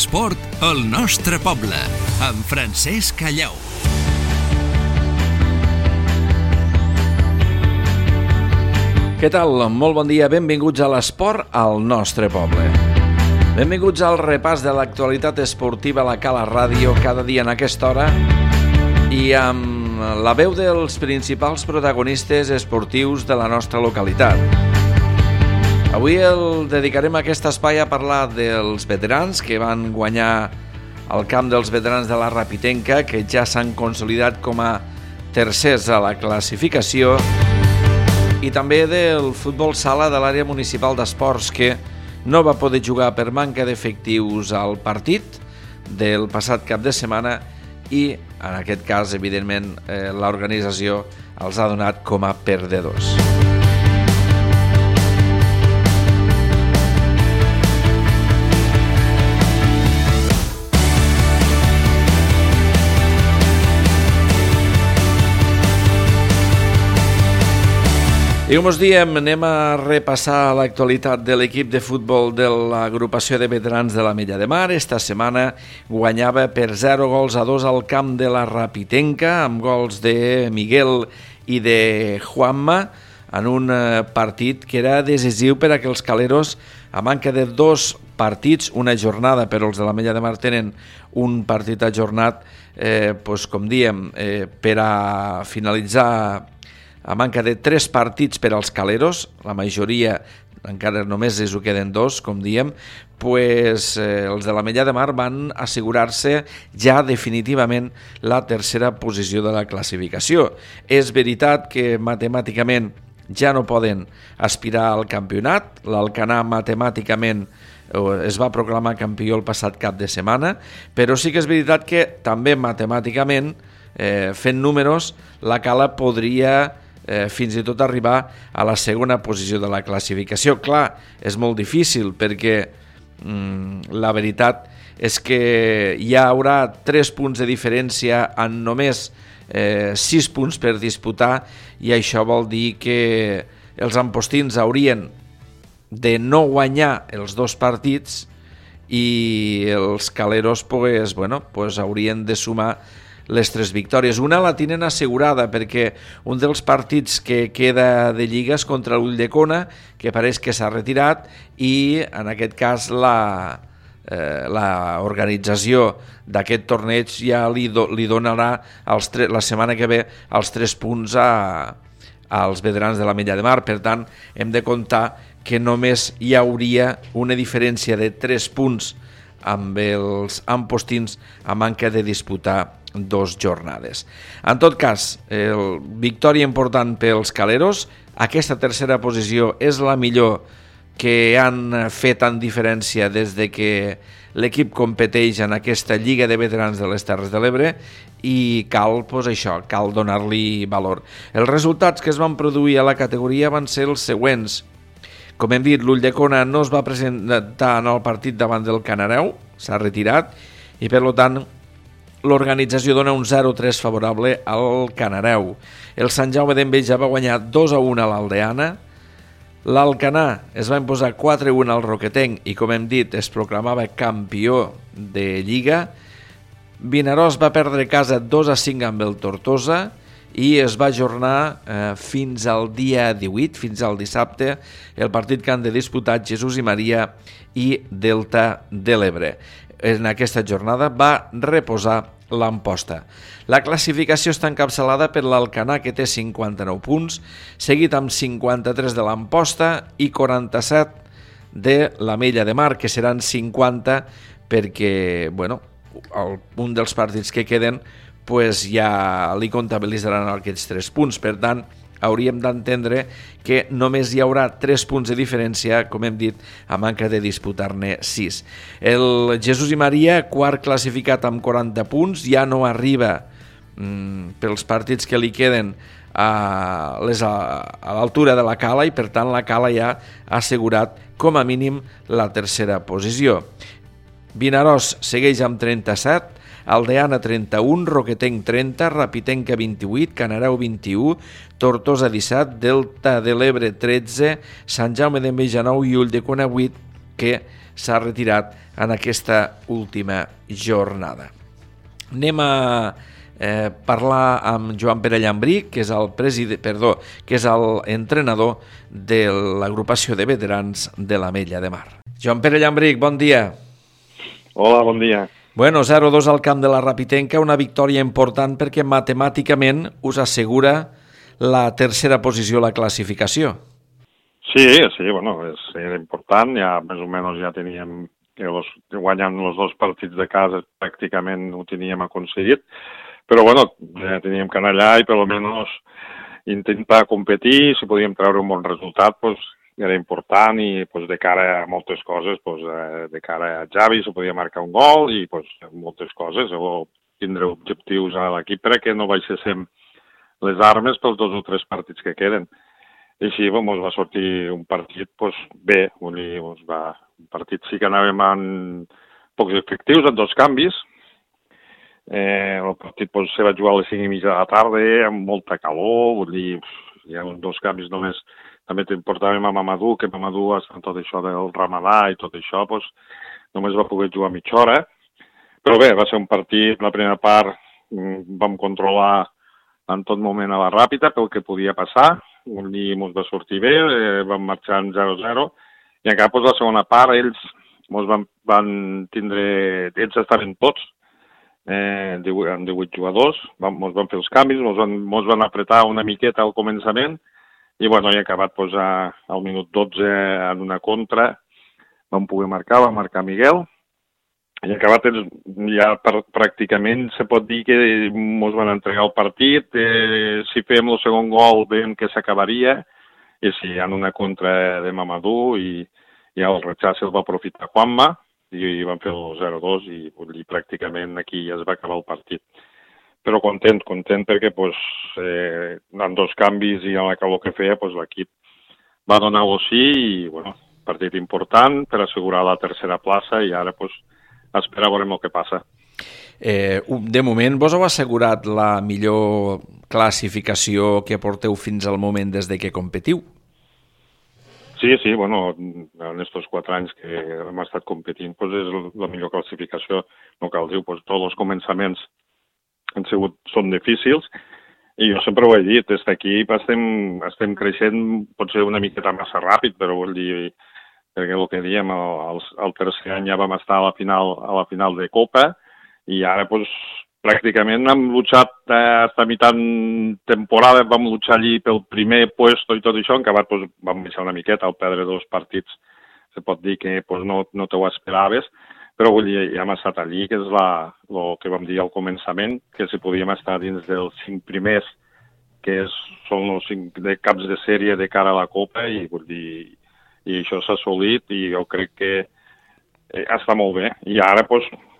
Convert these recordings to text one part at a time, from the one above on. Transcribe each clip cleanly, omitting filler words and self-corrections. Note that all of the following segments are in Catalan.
l'esport al nostre poble, amb Francesc Callau. Què tal? Molt bon dia, benvinguts a l'esport al nostre poble. Benvinguts al repàs de l'actualitat esportiva a la Cala Ràdio cada dia en aquesta hora i amb la veu dels principals protagonistes esportius de la nostra localitat. Avui el dedicarem aquest espai a parlar dels veterans que van guanyar el camp dels veterans de la Rapitenca, que ja s'han consolidat com a tercers a la classificació, i també del futbol sala de l'àrea municipal d'esports, que no va poder jugar per manca d'efectius al partit del passat cap de setmana i, en aquest cas, evidentment, l'organització els ha donat com a perdedors. I com us diem, anem a repassar l'actualitat de l'equip de futbol de l'agrupació de veterans de l'Ametlla de Mar. Esta setmana guanyava per 0-2 al camp de la Rapitenca, amb gols de Miguel i de Juanma, en un partit que era decisiu per a que els caleros, a manca de 2 partits, una jornada, però els de l'Ametlla de Mar tenen un partit ajornat, com diem, per a finalitzar a manca de 3 partits per als caleros, la majoria encara només es ho queden 2, com diem, els de l'Ametlla de Mar van assegurar-se ja definitivament la tercera posició de la classificació. És veritat que matemàticament ja no poden aspirar al campionat, l'Alcanar matemàticament es va proclamar campió el passat cap de setmana, però sí que és veritat que també matemàticament, fent números, la Cala podria fins i tot arribar a la segona posició de la classificació. Clar, és molt difícil perquè la veritat és que hi haurà 3 punts de diferència en només 6 punts per disputar, i això vol dir que els ampostins haurien de no guanyar els 2 partits i els caleros haurien de sumar les 3 victòries. Una la tenen assegurada perquè un dels partits que queda de lliga és contra l'Ulldecona, que pareix que s'ha retirat, i en aquest cas l'organització d'aquest torneig ja li donarà la setmana que ve els 3 punts als veterans de l'Ametlla de Mar. Per tant, hem de comptar que només hi hauria una diferència de 3 punts amb els ampostins a manca de disputar 2 jornades. En tot cas, victòria important pels caleros. Aquesta tercera posició és la millor que han fet en diferència des de que l'equip competeix en aquesta Lliga de Veterans de les Terres de l'Ebre, i cal donar-li valor. Els resultats que es van produir a la categoria van ser els següents. Com hem dit, l'Ulldecona no es va presentar en el partit davant del Canareu, s'ha retirat, i per tant l'organització dona un 0-3 favorable al Canareu. El Sant Jaume d'Enveja va guanyar 2-1 a l'Aldeana. L'Alcanar es va imposar 4-1 al Roquetenc i, com hem dit, es proclamava campió de Lliga. Vinaròs va perdre casa 2-5 amb el Tortosa i es va ajornar fins al dia 18, fins al dissabte, el partit que han de disputar Jesús i Maria i Delta de l'Ebre. En aquesta jornada va reposar l'Amposta. La classificació està encapçalada per l'Alcanar, que té 59 punts, seguit amb 53 de l'Amposta i 47 de l'Ametlla de Mar, que seran 50 perquè un dels partits que queden ja li comptabilitzaran aquests 3 punts. Per tant, hauríem d'entendre que només hi haurà 3 punts de diferència, com hem dit, a manca de disputar-ne 6. El Jesús i Maria, quart classificat amb 40 punts, ja no arriba pels partits que li queden a l'altura de la Cala, i per tant la Cala ja ha assegurat com a mínim la tercera posició. Vinaròs segueix amb 37, Aldeana 31, Roquetenc 30, Rapitenca 28, Canareu 21, Tortosa 17, Delta de l'Ebre 13, Sant Jaume d'Enveja 9 i Ulldecona 8, que s'ha retirat en aquesta última jornada. Anem a parlar amb Joan Pere Llambrí, que és l'entrenador de l'agrupació de veterans de l'Ametlla de Mar. Joan Pere Llambrí, bon dia. Hola, bon dia. Bueno, 0-2 al camp de la Rapitenca, una victòria important perquè matemàticament us assegura la tercera posició a la classificació. Sí, bueno, era important, ja més o menys ja teníem guanyant els 2 partits de casa pràcticament ho teníem aconseguit, però bueno, ja teníem que anar allà i per almenys intentar competir, si podíem treure un bon resultat, doncs era important i de cara a moltes coses, de cara a Javi se podia marcar un gol i moltes coses, o tindre objectius a l'equip perquè no baixéssim les armes pels 2 o 3 partits que queden. I així ens va sortir un partit bé, un partit sí que anàvem amb pocs efectius, amb 2 canvis. El partit se va jugar a les 5:30 de la tarda, amb molta calor, hi ha 2 canvis només. També portàvem a Mamadou, que Mamadou, amb tot això del Ramadà i tot això, només va poder jugar mitja hora. Però bé, va ser un partit, la primera part vam controlar en tot moment a la Ràpita pel que podia passar, ens va sortir bé, vam marxar en 0-0, i encara la segona part ells van tindre, ells estaven tots, amb 18 jugadors, ens van fer els canvis, ens van apretar una miqueta al començament, i bueno, he acabat al minut 12 en una contra, vam poder marcar, va marcar Miguel, i acabat ja pràcticament se pot dir que ens van entregar el partit, si fèiem el segon gol veiem que s'acabaria, i sí, en una contra de Mamadou i el rechaç el va aprofitar Juanma, i van fer el 0-2 i pràcticament aquí ja es va acabar el partit. Però content perquè amb 2 canvis i amb la calor que feia l'equip va donar-ho sí i bueno, partit important per assegurar la tercera plaça i ara esperar a veure el que passa. De moment vos heu assegurat la millor classificació que porteu fins al moment des de que competiu? Sí, bueno, en estos 4 anys que hem estat competint és la millor classificació, no cal dir, tots els començaments són difícils i jo sempre ho he dit, des d'aquí estem creixent potser una miqueta massa ràpid, però vol dir, perquè el que diem, el tercer any ja vam estar a la final de Copa i ara pràcticament hem luchat hasta mitad temporada, vam luchar allí pel primer puesto i tot això, en acabat vam baixar una miqueta al perdre 2 partits, se pot dir que no te ho esperaves, però vull dir, ja hem estat allí, que és el que vam dir al començament, que si podíem estar dins dels 5 primers, que són els 5 de caps de sèrie de cara a la Copa, i vull dir, i això s'ha assolit, i jo crec que està molt bé. I ara,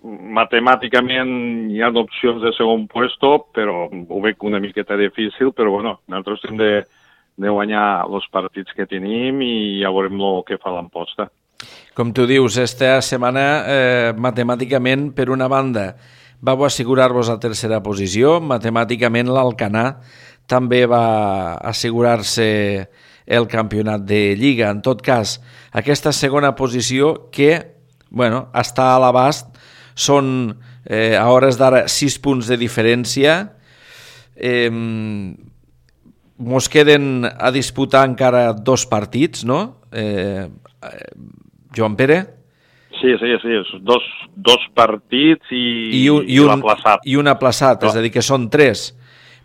matemàticament hi ha opcions de segon puesto, però ho veig una miqueta difícil, però bueno, nosaltres hem de guanyar els partits que tenim i ja veurem el que fa l'emposta. Com tu dius, esta setmana matemàticament, per una banda, vau assegurar-vos a tercera posició, matemàticament l'Alcanar també va assegurar-se el campionat de Lliga. En tot cas, aquesta segona posició que, bueno, està a l'abast, són a hores d'ara 6 punts de diferència, mos queden a disputar encara 2 partits, no? Joan Pere? Sí, dos partits i un aplaçat. I un aplaçat, és a dir, que són 3.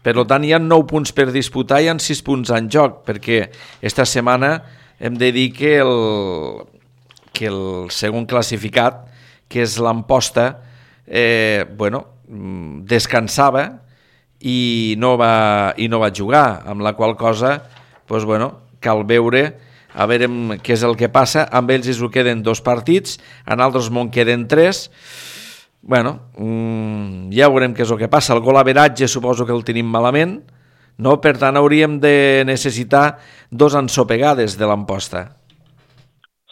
Per tant, hi ha 9 punts per disputar i hi ha 6 punts en joc, perquè esta setmana hem de dir que el segon classificat, que és l'Amposta, descansava i no va jugar, amb la qual cosa cal veure a veure què és el que passa. Amb ells es queden 2 partits, en altres món queden 3. Ja veurem què és el que passa. El gol averatge suposo que el tenim malament, no? Per tant hauríem de necessitar 2 ensopegades de l'Amposta.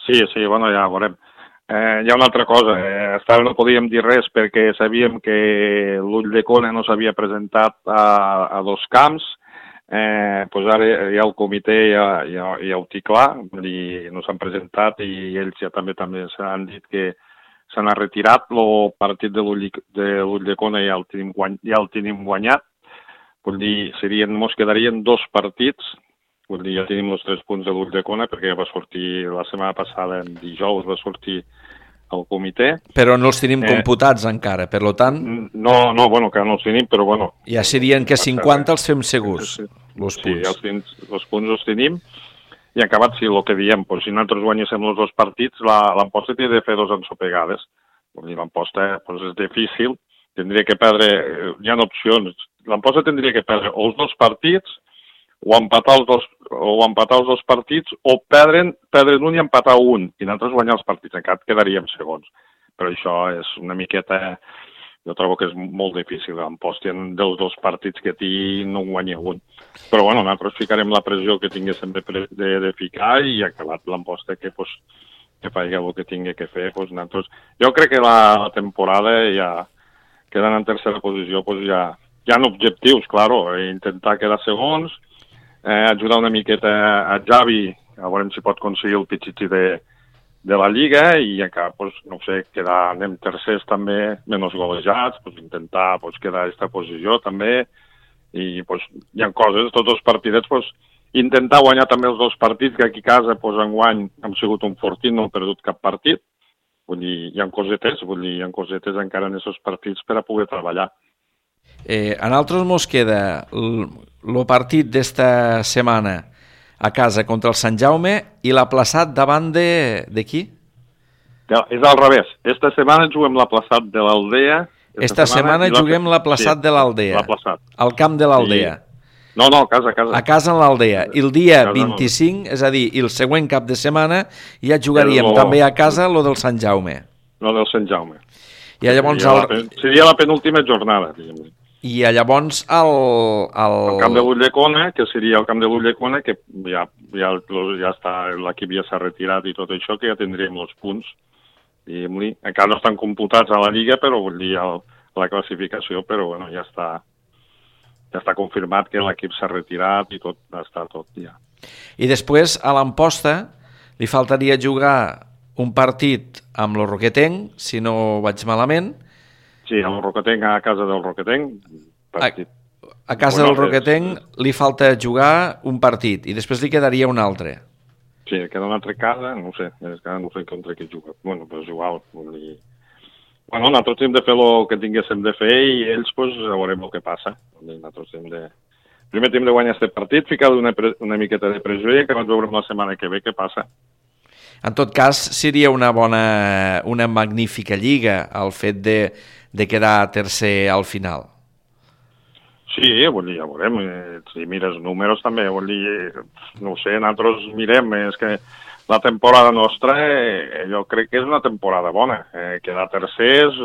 Sí, ja veurem. Hi ha una altra cosa, fins ara no podíem dir res perquè sabíem que l'Ull de Cone no s'havia presentat a 2 camps, pues ara ja el comitè ja ho té clar, i no s'han presentat i ells ja també s'han dit que se n'ha retirat. El partit de l'Ulldecona ja el tenim guanyat. Vull dir, mos quedarien 2 partits. Vull dir, ja tenim els 3 punts de l'Ulldecona perquè va sortir la setmana passada, en dijous, va sortir el comitè. Però no els tenim computats encara, per tant... No, bueno, que no els tenim, però bueno... Ja serien que 50 els fem segurs, els punts. Sí, els punts els tenim. I acabat, sí, el que diem, pues, si nosaltres guanyéssim els 2 partits, l'emposta té de fer 2 ensopegades. Vull dir, l'emposta pues, és difícil, tindria que perdre... Hi ha opcions. L'emposta tindria que perdre els 2 partits, o empatar els 2 partits, o perdre un i empatar un, i nosaltres guanyar els partits. Encara quedaríem segons. Però això és una miqueta... Jo trobo que és molt difícil. L'emposta dels 2 partits que té no guanya un. Però bueno, nosaltres ficarem la pressió que tinguéssim de ficar i acabat l'emposta que faci el que tingui que fer. Pues, nosaltres... Jo crec que la temporada ja quedant en tercera posició pues, ja hi ha objectius, claro, intentar quedar segons, ajudar una miqueta a Javi, a veure si pot aconseguir el pitxitxi de la Lliga i encara, pues, no sé, anem tercers també, menys golejats, pues, intentar pues, quedar a aquesta posició també, i pues, hi ha coses, tots els partidets, pues, intentar guanyar també els 2 partits, que aquí a casa pues, enguany hem sigut un fortí, no hem perdut cap partit, vull dir, hi ha cosetes encara en aquests partits per a poder treballar. A nosaltres mos queda el partit d'esta setmana a casa contra el Sant Jaume i l'aplaçat davant de qui? Ja, és al revés. Esta setmana juguem l'aplaçat de l'Aldea. Esta setmana juguem l'aplaçat de l'Aldea. Al camp de l'Aldea. No, a casa. A casa en l'Aldea. I el dia 25, és a dir, el següent cap de setmana, ja jugaríem també a casa lo del Sant Jaume. Lo del Sant Jaume. I llavors... Seria la penúltima jornada, diguem-ne. I llavors el camp de l'Ulldecona, que seria el camp de l'Ulldecona, que ja està, l'equip ja s'ha retirat i tot això, que ja tindríem els punts. Encara no estan computats a la Lliga, però vull dir, a la classificació, però bueno, ja està confirmat que l'equip s'ha retirat i tot, està tot ja. I després, a l'Amposta, li faltaria jugar un partit amb el Roquetenc, si no vaig malament. Sí, el Roquetenc, a casa del Roquetenc. A casa del Roquetenc li falta jugar un partit i després li quedaria un altre. Sí, queda una altra casa, no sé contra qui juga. Bueno, però és igual. Bueno, nosaltres hem de fer el que tinguéssim de fer i ells, pues, veurem el que passa. Nosaltres primer hem de guanyar aquest partit, ficar una miqueta de pressió i acabar veurem la setmana que ve què passa. En tot cas, seria una magnífica lliga el fet de quedar tercer al final. Sí, vull dir, ja veurem. Si mires números també, vull dir, no ho sé, nosaltres mirem, és que la temporada nostra jo crec que és una temporada bona. Quedar tercers,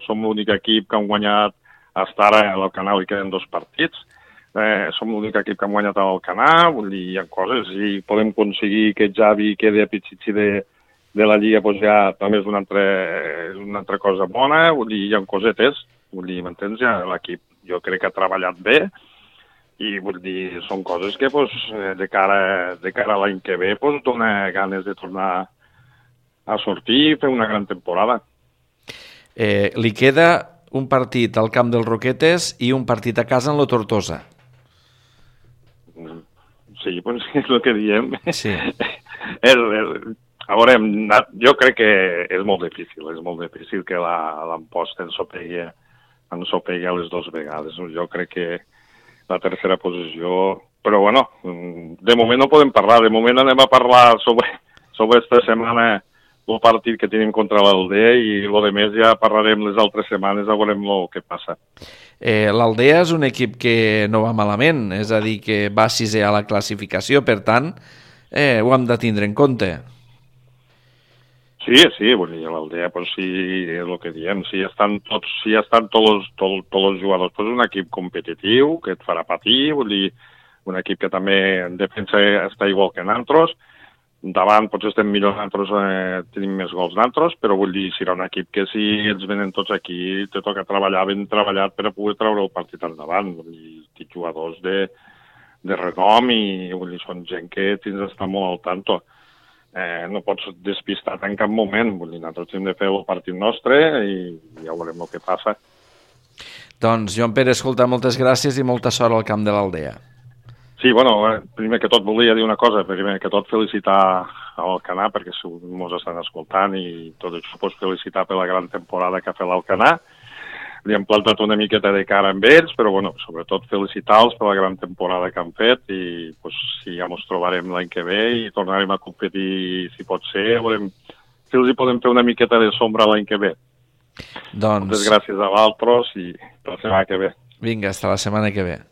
som l'únic equip que han guanyat fins ara al Canal i queden 2 partits. Som l'únic equip que hem guanyat al Canà, vull dir, hi ha coses, i podem aconseguir que Javi quedi a pitxitxi de la Lliga, doncs ja també és una altra cosa bona, vull dir, hi ha cosetes, vull dir, m'entens? Ja l'equip jo crec que ha treballat bé, i vull dir, són coses que de cara a l'any que ve dona ganes de tornar a sortir i fer una gran temporada. Li queda un partit al camp dels Roquetes i un partit a casa en la Tortosa. Sí, doncs és el que diem. Sí. A veure, jo crec que és molt difícil que l'Amposta ens sopegui a les 2 vegades. Jo crec que la tercera posició... Però, bueno, de moment no podem parlar. De moment anem a parlar sobre esta setmana el partit que tenim contra l'Aldea i el de més ja parlarem les altres setmanes, a veurem el que passa. L'Aldea és un equip que no va malament, és a dir, que va 6è a la classificació, per tant, ho hem de tindre en compte. Sí, vull dir, l'Aldea, sí, és el que diem, si estan tots els jugadors, és un equip competitiu, que et farà patir, vull dir, un equip que també en defensa està igual que nosaltres, davant potser estem millor nosaltres, tenim més gols nosaltres, però vull dir, serà un equip que si ens venen tots aquí, te toca treballar ben treballat per a poder treure el partit endavant. Vull dir, jugadors de renom i vull dir, són gent que tens d'estar molt al tanto. No pots despistar en cap moment, vull dir, nosaltres hem de fer el partit nostre i ja veurem el que passa. Doncs, Joan Pere, escolta, moltes gràcies i molta sort al camp de l'Aldea. Sí, bueno, primer que tot volia dir una cosa, primer que tot felicitar l'Alcanar, perquè ens estan escoltant i tot això pots felicitar per la gran temporada que ha fet l'Alcanar. Li hem plantat una miqueta de cara amb ells, però bueno, sobretot felicitar-los per la gran temporada que han fet i pues, sí, ja ens trobarem l'any que ve i tornarem a competir, si pot ser, veurem si els hi podem fer una miqueta de sombra l'any que ve. Doncs... Moltes gràcies a vosaltres i per la setmana que ve. Vinga, hasta la setmana que ve.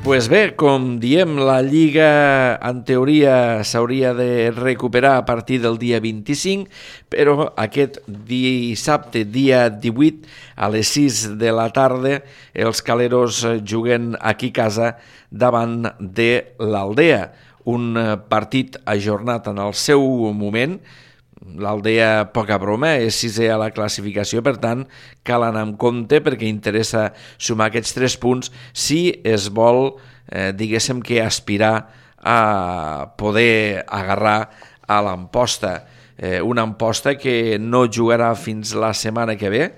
Pues bé, com diem, la Lliga en teoria s'hauria de recuperar a partir del dia 25, però aquest dissabte, dia 18, a les 6 de la tarda, els caleros juguen aquí a casa davant de l'Aldea. Un partit ajornat en el seu moment. L'Aldea, poca broma, és sisè a la classificació, per tant, cal anar amb compte perquè interessa sumar aquests 3 punts si es vol, diguéssim que aspirar a poder agarrar a l'Amposta. Una Amposta que no jugarà fins la setmana que ve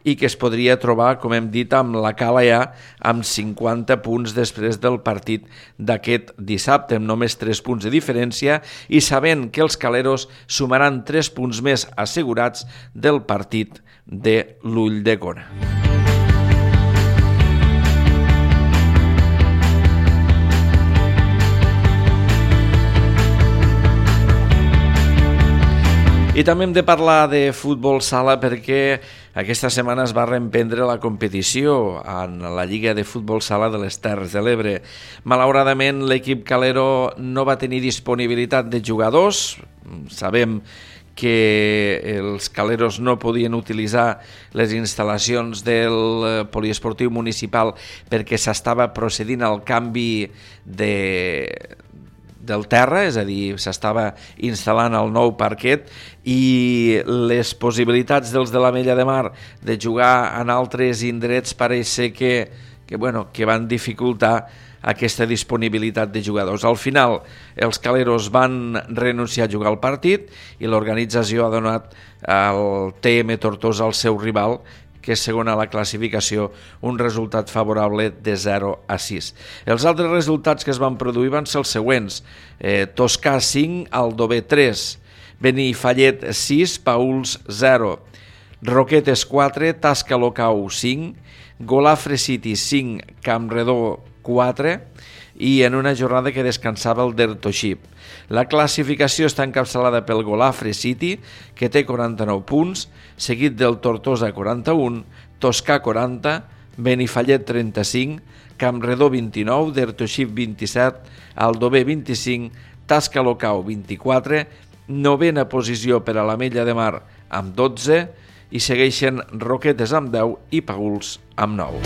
i que es podria trobar, com hem dit, amb la cala ja amb 50 punts després del partit d'aquest dissabte, amb només 3 punts de diferència i sabent que els caleros sumaran 3 punts més assegurats del partit de l'Ulldecona. I també hem de parlar de futbol sala perquè aquesta setmana es va reemprendre la competició en la Lliga de Futbol Sala de les Terres de l'Ebre. Malauradament, l'equip calero no va tenir disponibilitat de jugadors. Sabem que els caleros no podien utilitzar les instal·lacions del poliesportiu municipal perquè s'estava procedint al canvi del terra, és a dir, s'estava instal·lant el nou parquet i les possibilitats dels de l'Ametlla de Mar de jugar en altres indrets pareix ser que van dificultar aquesta disponibilitat de jugadors. Al final, els caleros van renunciar a jugar al partit i l'organització ha donat al TM Tortosa, el seu rival, que és segon a la classificació, un resultat favorable de 0-6. Els altres resultats que es van produir van ser els següents. Toscà 5, Aldover 3, Benifallet 6, Pauls 0, Roquetes 4, Tasca Locau 5, Golafre City 5, Campredó 4 i en una jornada que descansava el Dertoship. La classificació està encapçalada pel Golafre City, que té 49 punts, seguit del Tortosa 41, Toscà 40, Benifallet 35, Campredó 29, Dertoship 27, Aldover 25, Tasca Locau 24, novena posició per a l'Ametlla de Mar amb 12 i segueixen Roquetes amb 10 i Pauls amb 9.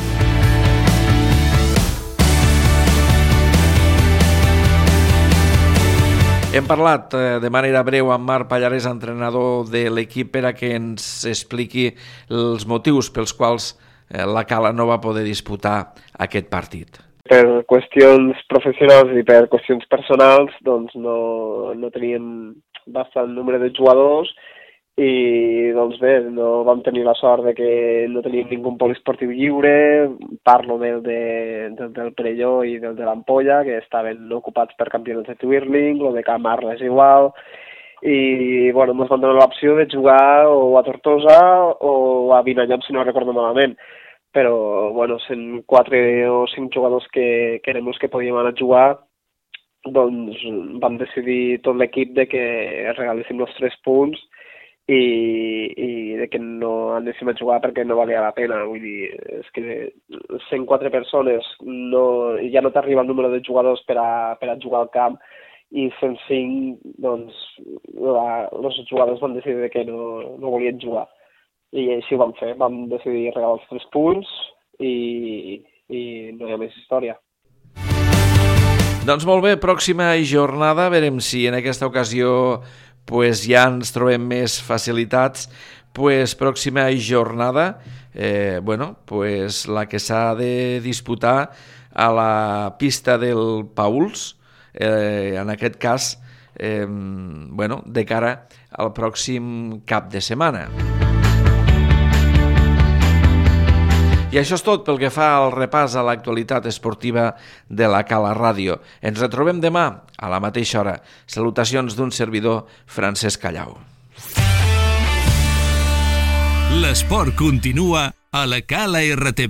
Hem parlat de manera breu amb Marc Pallarès, entrenador de l'equip, per a que ens expliqui els motius pels quals la Cala no va poder disputar aquest partit. Per qüestions professionals i per qüestions personals, doncs no teníem bastant nombre de jugadors i doncs bé, no vam tenir la sort de que no teníem ningú poliesportiu lliure. Parlo del Perelló i del de l'Ampolla, que estaven ocupats per campionats de twirling, el de Camarles és igual, i bueno, ens van donar l'opció de jugar o a Tortosa o a Vinallop, si no recordo malament. Però bueno, sent 4 o 5 jugadors que érem els que podíem anar a jugar, doncs vam decidir tot l'equip de que regaléssim els 3 punts i de que no anéssim a jugar perquè no valia la pena. Vull dir, és que 104 persones ja no t'arriba el número de jugadors per a jugar al camp i 105, doncs, els jugadors van decidir que no volien jugar. I així ho vam fer, vam decidir regalar els 3 punts i no hi ha més història. Doncs molt bé, pròxima jornada, veurem si en aquesta ocasió pues ja ens trobem més facilitats. Pues pròxima jornada, pues la que s'ha de disputar a la pista del Pauls, en aquest cas, de cara al pròxim cap de setmana. I això és tot pel que fa al repàs a l'actualitat esportiva de la Cala Ràdio. Ens retrobem demà a la mateixa hora. Salutacions d'un servidor, Francesc Callau. L'esport continua a la calartv.cat.